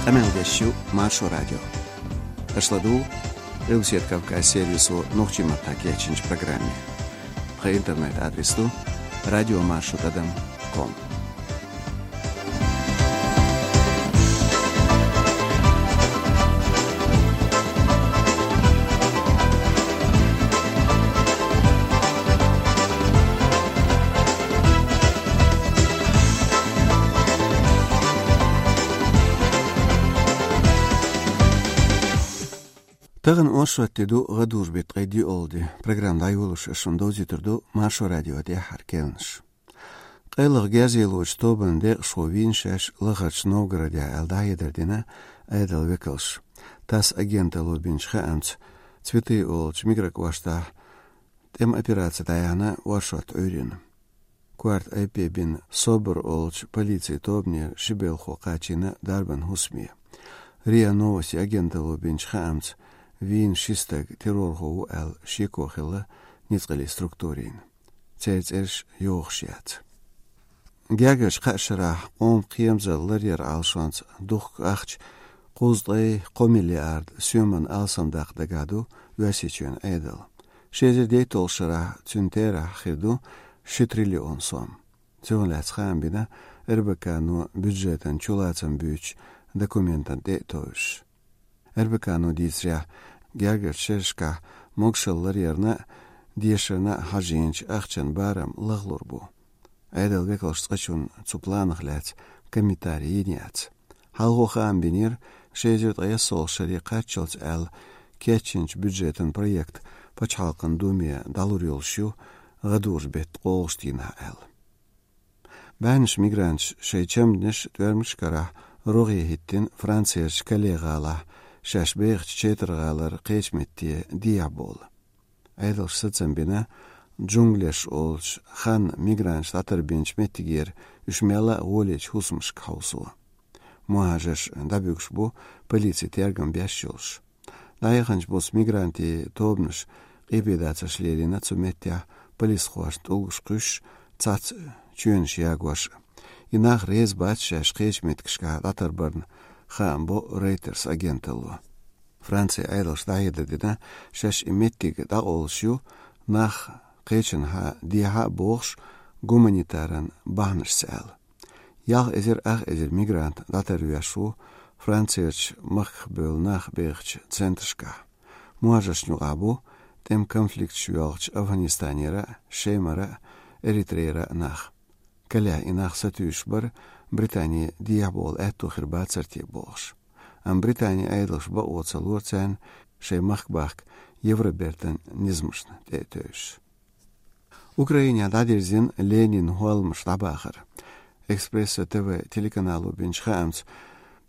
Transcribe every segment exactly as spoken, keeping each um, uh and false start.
Къамел деш ю Маршо радио. Аша ладугӀу Къилбаседа Кавказ сервисо нохчийн маттахь кечйинчу программе. Тхан интернет-адрес ду радиомаршо тӀадам ком. Тахана оршот де ду, гӀадужу беттан ткъе диъалгӀа де. Программа дӀайолош ас шуна довзуьйтур ду Маршо радион тӀаьххьара керланаш. Къайлаха герз лелочу тобанан декъашхо вийна шаьш лахарчу Новгородехь аьлла дӀахьедар дина Ӏедалан векалша. ТАСС агенталло бинчу хаамца, Цветы олучу микрокӀоштахь тӀеман операци дӀаяьхьна оршот Ӏуьйрина. Корта айпе бина СОБР олучу полицин тобанера ши белхо кхачийна дарбан хӀусаме. РИА Новости агенталло бинчу хаамца, вийна ши стаг террорхо ву аьлла шеко хилла ницкъаллин структурийн. Церан цӀераш йохуш яц. Гергарчу кхаа шарахь къоман кхерамзалла ларъяран Ӏалашонца духку ахча кхузткъе кхо миллиард соьмана алсамдаккха дагахь ду Оьрсийчоьнан Ӏедал. Ши эзар дейтталгӀачу шарахь цуьнан терахь хир ду ши триллион сом. Цунах лаьцна хаам бина РБК-но бюджетан чулацам буьйцучу документана тӀе а товжуш. РБК-но дийцарехь, гергарчу шерашкахь могушалла ларъярна а, дешарна а хьажийначу ахчан барам лахлур бу. Ӏедалан векалша цкъачунна цу планах лаьцна комментари йина яц. Хьалхо хаам бинера, ши эзар ткъе ялхалгӀачу шаре кхаччалц аьлла кечйинчу бюджетан проект Пачхьалкхан Думе дӀалур йолуш ю гӀадужу беттан ткъолгӀачу дийнахь аьлла. БӀаьннаш мигранташ шайн чамданаш тӀоьрмигаш карахь рогӀе хӀиттина Францерчу Кале гӀалахь, шаьш бехачу Четар гӀалара кхечу метте дехьабовла. Ӏедалша сацам бина, Джунглеш олучу ханна мигранташ дӀатарбинчу меттигера уьш мелла а гӀолечу хӀусамашка хьовсо. МухӀажарш дӀабуьгуш бу, полици тергам беш йолуш. ДӀаяханчу буса мигрантийн тобанаш къепедацарш лелийна цу меттехь, полисхошна тӀулгаш кхуьссуш, цхьацца чоьнаш ягош. И нах реза бац шаьш кхечу меттигашкахь дӀатарбарна, хаам бо Reuters агенталло. Францин Ӏедалша дӀахьедар дина, шаьш и меттиг дӀакъовлуш ю, нах кхечанхьа дехьа а бохуш, гуманитаран бахьанашца аьлла. Ялх эзар ах эзар мигрант дӀатарвеш ву Францерчу махках бевлла нах бехачу центрашкахь. МухӀажаршна юкъахь бу тӀеман конфликташ йоьлхучу Афганистанера а, Шемара а, Эритрейра а нах. Калехь и нах сатуьйсуш бара, Британе дехьабовла аьтто хир бацара те бохуш. Амма Британин Ӏедалша бакъо ца лора царна шайн махка бахка Евробертан низамашна тӀе а тевжаш. Украинехь дӀадирзина Ленинан хӀолламаш дӀабахар. Экспресса ТВ телеканало бинчу хаамца,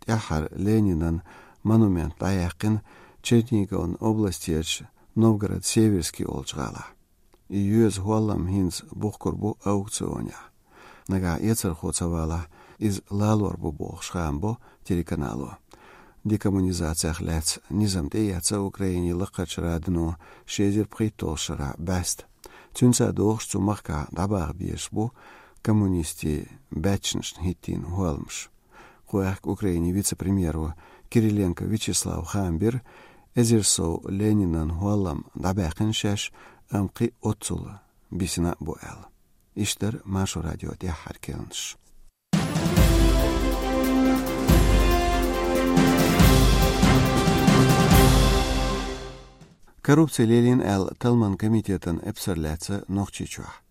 тӀаьххьара Ленинан монумент дӀаяьккхина Чернигован областечу Новгород-Северский олучу гӀалахь. И йоьза хӀоллам хӀинца бухкур бу аукционехь. Нагахь эцархо ца валахь, иза лалор бу бохуш хаам бо телеканало. Декоммунизацех лаьцна низам тӀеэцна Украинин Лакхарчу Радано ши эзар пхийтталгӀачу шарахь бӀаьста. Цуьнца догӀуш цу махкахь дӀабаха безаш бу коммунистийн баьччанашна хӀиттийна хӀолламаш. Кху аьхка Украинин вице-премьеро Кириленко Вячеслава хаам бира, эзар сов Ленинан хӀоллам дӀабаьккхина шаьш, амма кхин оццул бисина а бу аьлла. Иштта дара Маршо радион тӀаьххьара керланаш. Коррупци лелийна аьлла талламан комитетан эпсар лаьцна Нохчийчохь.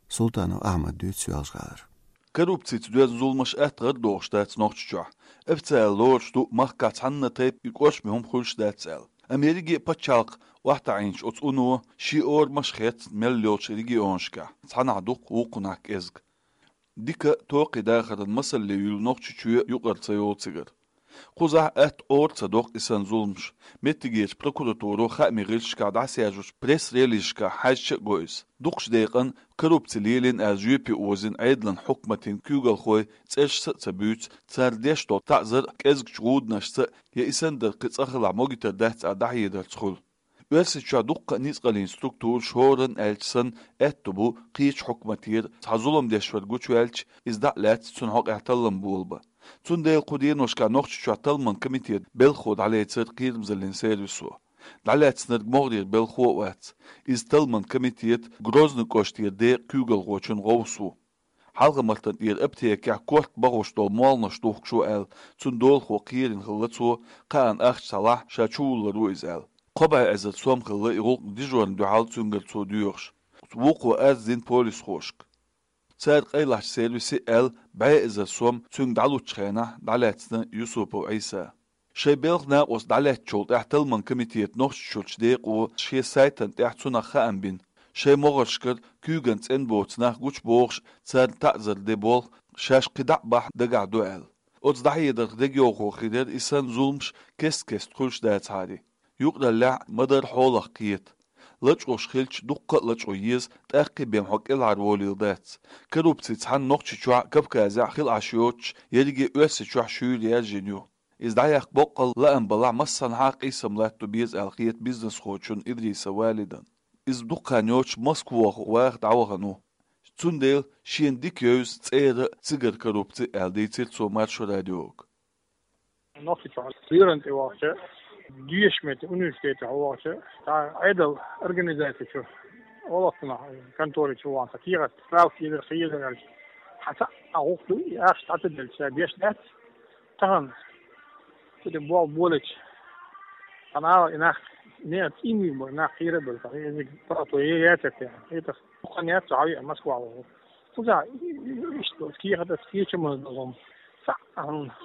Султанов Ахьмада дуьйцу Соьлжа-ГӀалара. Коррупцица доьзна зуламаш атта гӀар дохуш дац Нохчийчохь. Официально лоруш ду, махкахь цхьанна тайпа и кӀоршаме хӀума хуьлуш дац аьлла. Америкин пачхьалкх охьатаӀийначу оцу уно шен орамаш хецна мел йолчу регионашкахь, цхьанахь дукха, вукхунахь кӀезга. Дика, токхе дахаран масалле юьллу Нохчийчоь юкъара ца йолу цигара. Кхузахь атта Ӏора ца доккху и санна зуламаш. Меттигерчу прокуратуро хаамийн гӀирсашкахь дӀасаьржачу пресс-релизашкахь хьаьжча а го иза. Дукхачу декъана коррупци лелийна аьлла жоьпе озийна Ӏедалан хьукматийн куьйгалхой цӀерашца а ца буьйцу, цара деш долу таӀзар а кӀезгачу гӀуданашца а, я и санна дара кхин цкъа хилахь могуьйтур дац аьлла дӀахьедарца хуьлу. Оьрсийчохь дуккха а ницкъаллин структураш хӀоранна аьлча санна аьтто бу кхечу хьукматера, цхьа зулам деш вар гучуваьлча, иза дӀа а лаьцна цунна хьокъехь таллам болабан. Цундела кху деношкахь Нохчийчохь талламан комитетан белхахо дӀалецира кхерамзаллин сервисо. ДӀалаьцнарг могӀарера белхахо а вац. Иза талламан комитетан Грозный кӀоштера декъан куьйгалхочун гӀовс ву. Хьалха-Мартан тӀера аптекехь корта бахош долу молханаш духкуш ву аьлла, цуьнан долахо кхерина хилла цо, кхаанна ахча схьалахь, ша чувуллур ву иза аьлла. Кхо бӀе эзар сом хилла и гӀуллакх дижорна дуьхьал цуьнгара цо доьхуш. Вукхо арз дина полисхошка. Цара къайлахчу сервисе аьлла, бӀе эзар сом цуьнга дӀалуччу хенахь дӀалаьцна Юсупов Ӏийса. Шайн белхан накъост дӀалаьцначул тӀаьхьа талламан комитетан Нохчийчуьрчу декъо шен сайтана тӀехь цунах хаам бина. Шайн могӀаршкара куьйган цӀена боцу нах гучубохуш, царна таӀзар де болх шаьш кхин дӀа а бахь дагахь ду аьлла. Оцу дӀахьедарх дегайовхо хир яра и санна зуламаш кест-кеста хуьлуш дацахьара. Юкъараллехь ма-дарра хьолах кхета. Лачкъош хилча дуккха а лачкъо еза, тӀаккха бен хьо кӀелхьарволийла дац. Коррупци цхьана Нохчийчохь а, Кавказехь а хила Ӏаш йоцуш, ерриге а Оьрсийчохь шуьйра яьржина ю. Иза дӀаяккха боккъал лаам балахь массанхьа а къийсам латто беза аьлла хета бизнесхочунна Идрисов Валидна. Иза дукха хан йоцуш Москвахь ваха дӀавахана ву. Цундела шена дика евза цӀера а, цигара коррупци а аьлла дийцира цо Маршо радиога. Нохчийчохь Цуьйран тӀе вахча, дешаме тӀе университете вахча, цхьа Ӏедал организаци чу, олахтана контори чу вахча, кехат справка йилира, хезира аьлча, хьан цхьа а гӀуллакх ду, и ахча дӀа ца делча, деш дац. Тахана цу тӀе болх болча, хьан ала и нах, не, цӀиймиг бара, нах кхера а бара, тахана изиг паргӀато е яцар те. ХӀетах Кху яц хьо Москва ваху. Кхуза, иштта, кехат ас кечамаза догӀу. Цхьаъ, хьуна.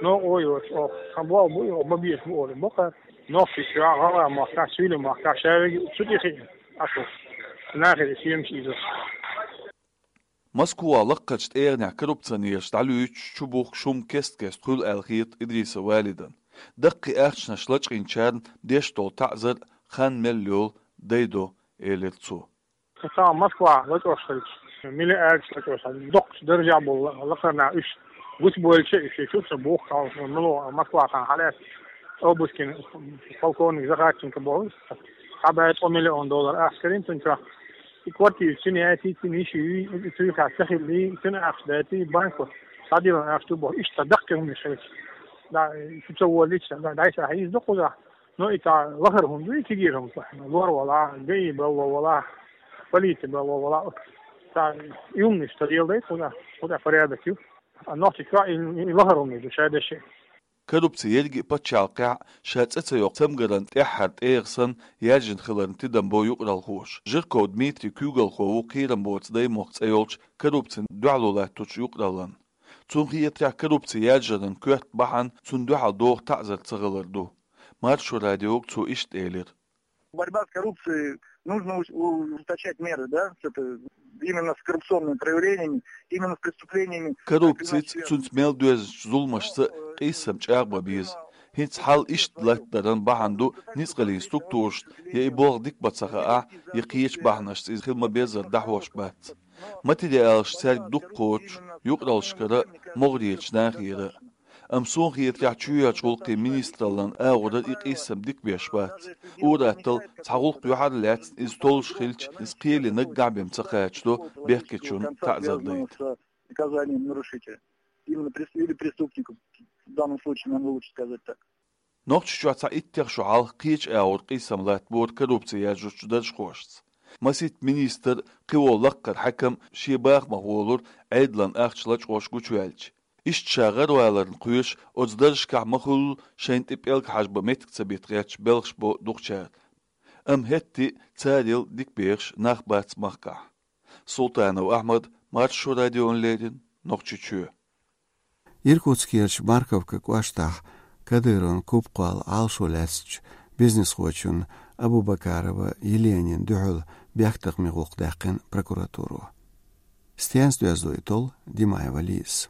Но, ой, ой, ой, хан боху бу, ой, ма беш бу, ой, боккха. Нохчийчохь, гӀалгӀай махкахь, суьйлийн махкахь, шаверг цу тӀе хиъна. Ашу. Нахе де сиемаш иза. Москва лаккхарчу тӀегӀанехь коррупционераш дӀалуьйчуш чубухкуш хӀума кест-кеста хуьлу аьлла хета Идрисов Валидна. Даккхий ахчанаш лачкъийначарна деш долу таӀзар хан мел йолу дайдо, элира цо. Сан Москва лачкъош хилча, миллиардаш лачкъош, доккхачу даржехь болу лакхарна уьш гучубойлча, уьш чу ца бухкалш, мало Москва хан хьалаьцна, Обускин полковник Захарченко боху, цхьа бӀе ткъа миллион доллар ахча карийна цуьнан чохь. И квартира цуьнан яйти, цуьнан йиш юй, цуьнан хьаста ца хилли, цуьнан ахча дайти, банко схьадиллина ахча ду боху. Иштта даккхий хӀуманаш хилча, да, шу ца воллича, да, дайша хьийза ду кхузахь. Ну, и цхьа лахара хӀума ду, и цигара хӀума. Лор вала, ГАИ балло вала, полици балло вала. Цхьа и хӀуманаш ца леладайта, кхуза, кхуза порядок ю. А Нохчийчохь и, и лахара хӀуманаш ду, шадеши. Коррупци ерриге а пачхьалкхехь ша цӀе ца йоккху цамгаран тӀаьххьара тӀегӀа санна яьржина хиларна тидам бо юкъаралхоша. Жирков Дмитрий куьйгалхо ву кхерам боцу даймохк цӀе йолчу коррупцина дуьхьало латточу юкъараллан. Цунна хетарехь, коррупци яьржаран коьрта бахьана цунна дуьхьал доху таӀзар ца хилар ду. Маршо радиога цо иштта элира. Борьба с коррупцией, нужно уж-, у-, ужесточать меры, да, с это, именно с коррупционными проявлениями, именно с преступлениями. Коррупцица, цуьнца мел доьзначу зуламашца къийсам чӀагӀбан беза. ХӀинца хьал иштта латтаран бахьана ду ницкъаллин структурашна, я и болх дика бан ца хаахь, я кхечу бахьанашца иза хила ма-беззара дӀахьош бац. Материалаш цаьрга дукха кхочуш, юкъараллашкара а, могӀарерчу нахера а. Амма суна хетарехь, чоьхьарчу гӀуллакхийн министраллан агӀора и къийсам дика беш бац. Ур-атталла цхьа гӀуллакх юьхьар а лаьцна, иза толлуш хилча, иза кхеле наггахь бен ца кхачадо бехкечунна таӀзар дайта. Наказанием нарушителя. Именно прес-, или преступнику, в данном случае, нам лучше сказать так. Нохчийчохь цхьа иттех шо хьалха кхечу агӀор къийсам латтабора коррупци яржучу даржхошца. Масийтта министр, кхин волу лаккхара хьаькам шен бахамах волура Ӏедалан ахча лачкъош гучуваьлча. Иштта ша гӀараваларна кхоьруш, оцу даржашкахь ма-хуьллу шайна тӀе пӀелг хьажбан меттиг ца битта гӀерташ белхаш бо дукхачара. Амма хӀетте а царел дика бехаш нах бац махкахь. Султанов Ахьмад, Маршо радиона леррина, Нохчийчоь. Иркутскерчу Марковка кӀоштахь Кадыровн куп кхолла Ӏалашо лаьцначу бизнесхочун Абубакарова Еленин дуьхьал бехктакхамийн гӀуллакх даьккхина прокуратуро. Стенца доьзна ду и толла, Димаева Лиза.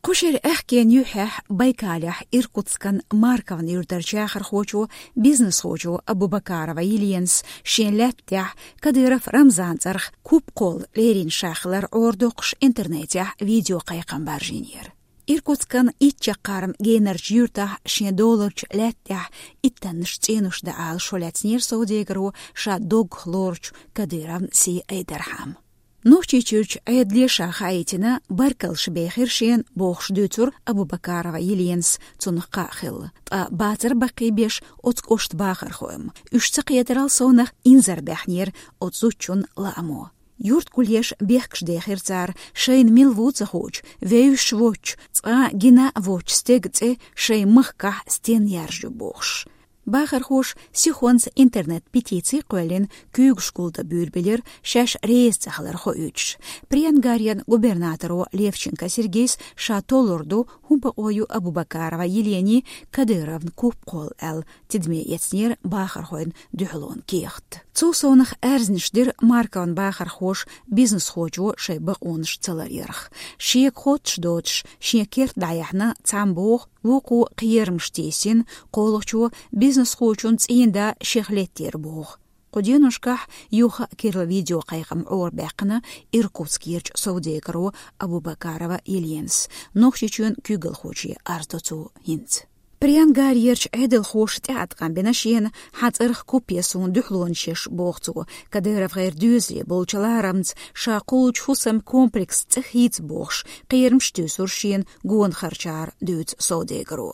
Кху шеран аьхкенан юьххьехь Байкалехь Иркутскан Марковн юьртарчу яхархочо, бизнесхочо Абубакарова Еленас шен лаьттахь Кадыров Рамзанан цӀарах куп кхолла лерина ша хилар Ӏорадоккхуш интернетехь видеокхайкхам баржийнера. Иркутскан итт чаккхарма генарчу юьртахь шен доларчу лаьттахь иттаннаш цӀенуш дан Ӏалашо лаьцнера совдегаро ша доггах лоручу Кадыровн сий Айдархьамна. Нохчийчуьрчу Ӏедале ша хаийтина, баркаллаш бехира шена бохуш дуьйцура Абубакарова Еленас цунах кхаъ хилла. Ткъа бацар баккхийбеш оцу кӀоштан бахархой-м. Уьш ца кхетарал совнах инзарбаьхнера оцу зудчун лаамо. Юрт гулъеш бехкаш дехира цара, шайна мила ву ца хуучу, вевзаш воцчу, цкъа гина а воцчу стеган цӀе шайн махкахь стенна яржа ю бохуш. Бахархоша сихонца интернет-петици кхоьллина куьйгаш гулдан буьйр билира, шаьш реза ца хилар хоуьйтуш. Приангарен губернаторо Левченко Сергейс ша толлур ду, хӀун бакъо ю Абубакарова Еленин Кадыровна куп кхолла аьлла, тидаме эцнера бахархойн дуьхьалонан кехат. Цул совнах аьрзнаш дира Марковн бахархоша бизнесхочо шайн бакъонаш ца ларъярх. Шега хоттуш доцуш, шен керта дӀаяьхьна цхьамма боху, вукхо кхерамаш тийсина, кхоалгӀачо бизнесхочун цӀийнда шех леттера боху. Кху деношкахь юха а керла видеокхайкхам Ӏорабаьккхина Иркутскерчу совдегаро Абубакарова Еленас. Нохчийчоьнан куьйгалхоче арз до цо хӀинца. Приангарерчу Ӏедалхоша тӀеӀаткъам бина шена, хьан цӀарах куп я суна дуьхьалонаш еш, боху цо, Кадыровгара доьзале болчу ларамца ша кхуллучу хӀусаман комплексан цӀе хийца бохуш, кхерамаш туьйсура шена гонан харчара, дуьйцу совдегаро.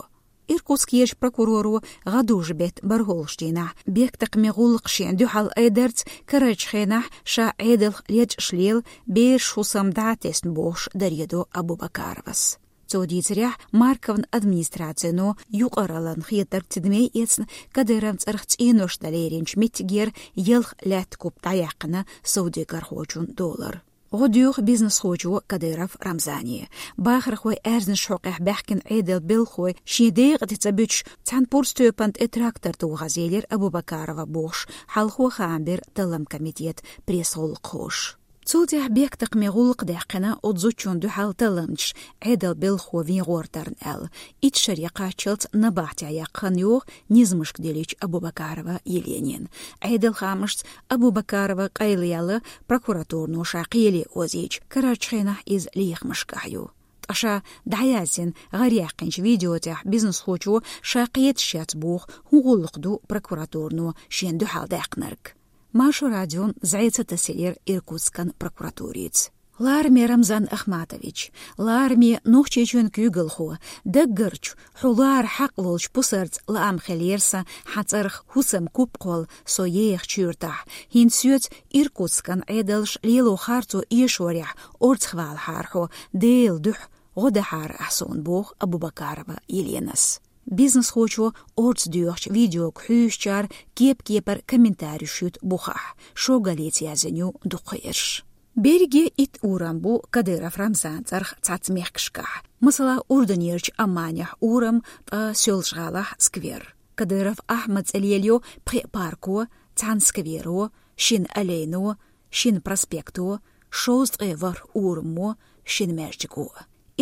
Иркутскерчу прокуроро гӀадужу беттан бархӀолгӀачу дийнахь бехктакхамийн гӀуллакх шена дуьхьал айдарца карарчу хенахь ша Ӏедалх лечкъаш лела, бераш хӀусамна дӀа а тесна бохуш даре до Абубакаровас. Цо дийцарехь, Марковн администрацино юкъараллин хетарг тидаме эцна, Кадыровн цӀарах цӀенош дан леринчу меттигера ялх лаьттан куп дӀаяьккхина совдегархочун долара. ГӀо доьху бизнесхочо Кадыров Рамзане. Бахархойн аьрзнаш хьокъехь баьхкина Ӏедалан белхалой шен декъа тӀе ца буьтуш, цхьана пурба тоьпана тӀе трактор тухуш елира Абубакарова бохуш, хьалхо хаам бира талламан комитетан пресс-гӀуллакххоша. Цул тӀаьхьа бехктакхамийн гӀуллакх даьккхина оцу зудчунна дуьхьал талламчаша, Ӏедалан белхахо вен гӀортарна аьлла. Итт шаре кхаччалц набахтехь яккха хан йогӀу низамашка диллича Абубакарова Еленина. Ӏедалан хаамашца, Абубакарова къайлаяьлла, прокуратуро ша кхеле озийча, карарчу хенахь иза лехамашкахь ю. Ткъа ша дӀаяздина гӀараяьккхинчу видео тӀехь бизнесхочо ша кхеташ яц боху, хӀун гӀуллакх ду прокуратуро шена дуьхьал даьккхинарг. Маршо радион зӀе ца тасийлира Иркутскан прокуратурица. Лараме Рамзан Ахматович, лараме Нохчийчоьнан куьйгалхо, даггарчу, хьо лара хьакъ лолчу пусарца лаам хилира сан хьан цӀарах хӀусаман куп кхолла со ехачу юьртахь. ХӀинца соьца Иркутскан Ӏедалша лело харцо эшорехь орцахвалахьара хьо, Делан дуьхьа гӀо дахьара ахь суна, боху Абубакарова Еленас. Бизнесхочо орца доьхучу видеога хьуьйсучара кеп-кепара комментареш юту бухахь, шо галлица яздина ю дукхаерш. Берриге итт урам бу Кадыров Рамзанан цӀарах цхьацца мехкашкахь. Масала, Урданерчу Амманехь урам, ткъа Соьлжа-ГӀалахь сквер. Кадыров Ахьмадан цӀе лелайо пхеа парко, цхьана скверо, шина аллейно, шина проспекто, шовзткъе ворхӀ урамо, шина маьждиго.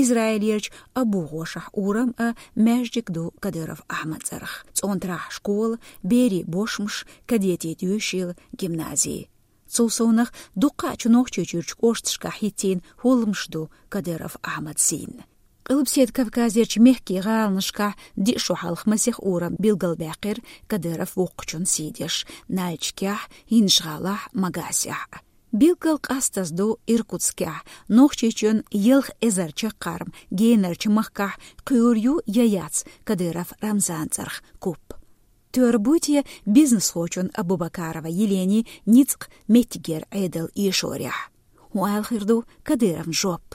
Израилерчу Абу-ГӀошахь урам а, маьждиг ду Кадыров Ахьмадан цӀарах. ЦӀонтарахь школа, берийн бошмаш, кадетийн доьшийла, гимнази. Цул совнах, дуккхаъчу Нохчийчуьрчу кӀошташкахь хӀиттийна хӀолламаш ду Кадыров Ахьмадан сийнна. Къилбаседа Кавказерчу мехкийн гӀаланашкахь диъ шо хьалха масех урам билгалбаьккхира Кадыров воккхачун сий деш: Нальчикехь, ХӀинжа-ГӀалахь, Магасехь. Билггал къастаза ду Иркутскехь, Нохчийчоьнан ялх эзар чаккхарма генарчу махкахь кхуьур ю я яц Кадыров Рамзанан цӀарах куп. Тера буй те бизнесхочун Абубакарова Еленин ницкъ меттигера Ӏедал эшорехь? ХӀун ала хир ду Кадыровн жоп?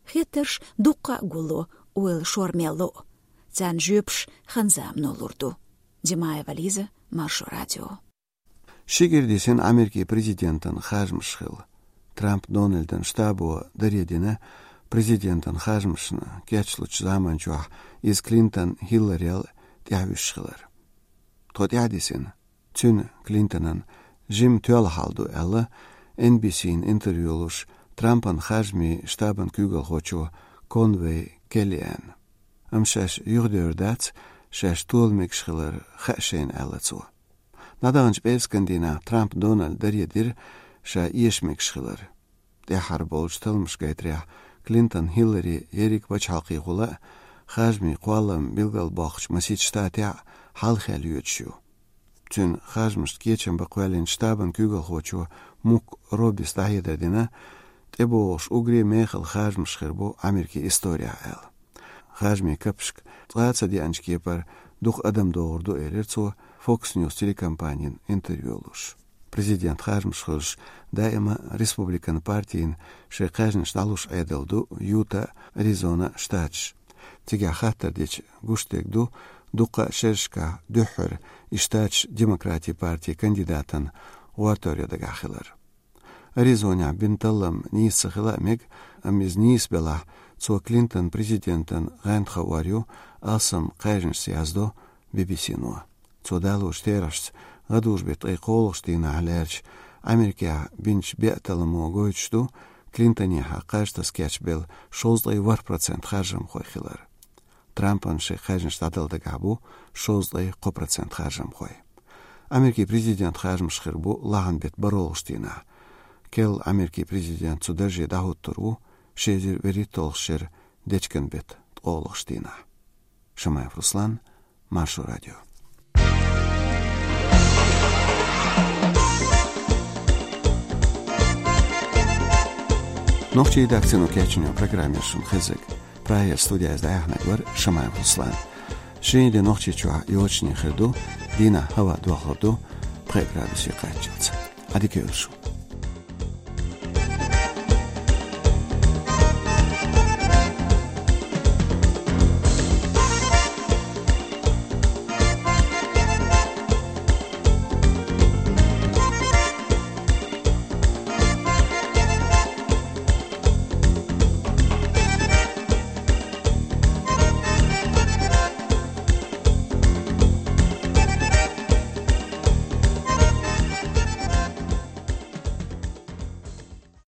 Хеттарш дуккха а гулло, ойла шор мел ло. Царна жоьпаш хан-замано лур ду. Димаева Лиза, Маршо радио. Ши кӀира дисина Америкин президентан харжамаш хилла. Трамп Дональдан штабо даре дина президентан харжамашна кечлучу заманчохь иза Клинтон Хилларел тӀаьхьавуьсуш хилар. Тхо тӀаьхьадисина, цуьнан, Клинтонан, жимма тоьлла хьал ду аьлла, Эн Би Си-на интервью луш, Трампан харжамийн штабан куьйгалхочо Конвей Келлиана. Амма шаьш юхадевр дац, шаьш тола мегаш хилар хаьа шайна, аьлла цо. ДӀадаханчу пӀераскан дийнахь Трамп Дональда даре дира ша эша мегаш хилар. ТӀаьххьара болчу талламаша гайтарехь, Клинтон Хиллари ерриг пачхьалкхехула а, харжамийн кхоллам билгалбоккхучу масийтта штатехь а хьалхе лоьцуш ю. Цуьнан харжамашна кечам бан кхоьллинчу штабан куьйгалхочо Мук Робис дӀахьедар дина, тӀебогӀуш уггаре мехала харжамаш хир бу Америкин исторехь аьлла. Харжамийн капашка цкъа а ца деанчу кепара дукха адам догӀур ду, элира цо Fox News телекомпанина интервью луш. Президент харжамаш хуьлуш даима республикан партина шайн кхаьжнаш дӀалуш Ӏедал ду Юта, Аризона штаташ. Цигахь хаттар дича гуш дерг ду, дуккха а шерашкахь дуьххьара и штаташ демократийн партин кандидатан гӀортор йо дагахь хилар. Аризонехь бина таллам нийса ца хила а мега, амма иза нийса белахь, цо Клинтон президентан гӀантхо ор ю, алсам кхаьжнашца, яздо Би-би-си-но. Цо далочу терахьашца, гӀадужу-беттан ткъе кхоалгӀачу дийнахь лаьрча Америкехь бинчу беа талламо гойтуш ду, Клинтонехьа кхаж таса кечбелла шовзткъе ворхӀ процент харжамхой хилар. Трампан шайн кхаьжнаш дӀадала дагахь бу шовзткъе кхо процент харжамхой. Америкин президент харжамаш хир бу лахьан беттан бархӀалгӀачу дийнахь. Керла Америкин президент цу дарже дӀахӀуттур ву ши эзар вуьрхӀитталгӀачу шеран дечкен беттан ткъолгӀачу дийнахь. Шамаев Руслан, Маршо радио. Нохчийн редакцино кечйина программа яра шуна хезнарг. Прагера студехь иза дӀаяьхьнарг вара Шамаев Руслан. Шинарин де Нохчийчохь йочане хир ду, дийнахь хӀаваъ дохлур ду пхи градусе кхаччалц. Ӏадика йойла шун.